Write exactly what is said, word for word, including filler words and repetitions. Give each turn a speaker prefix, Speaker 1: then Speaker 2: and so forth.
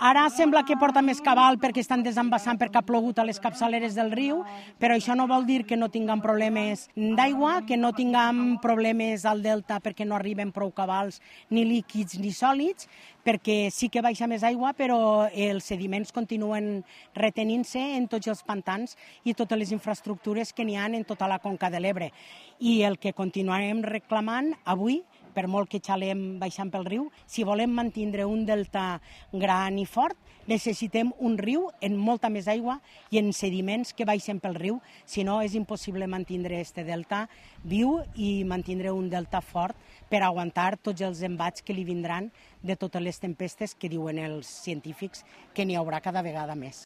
Speaker 1: Ara sembla que porta més cabal perquè estan desembassant perquè ha plogut a les capçaleres del riu, però això no vol dir que no tinguem problemes d'aigua, que no tinguem problemes al delta perquè no arriben prou cabals ni líquids ni sòlids, perquè sí que baixa més aigua, però els sediments continuen retenint-se en tots els pantans i totes les infraestructures que n'hi ha en tota la conca de l'Ebre. I el que continuarem reclamant avui, per molt que xalem baixant pel riu, si volem mantindre un delta gran i fort, necessitem un riu en molta més aigua i en sediments que baixen pel riu, si no és impossible mantindre este delta viu i mantindre un delta fort per aguantar tots els embats que li vindran de totes les tempestes que diuen els científics que n'hi haurà cada vegada més.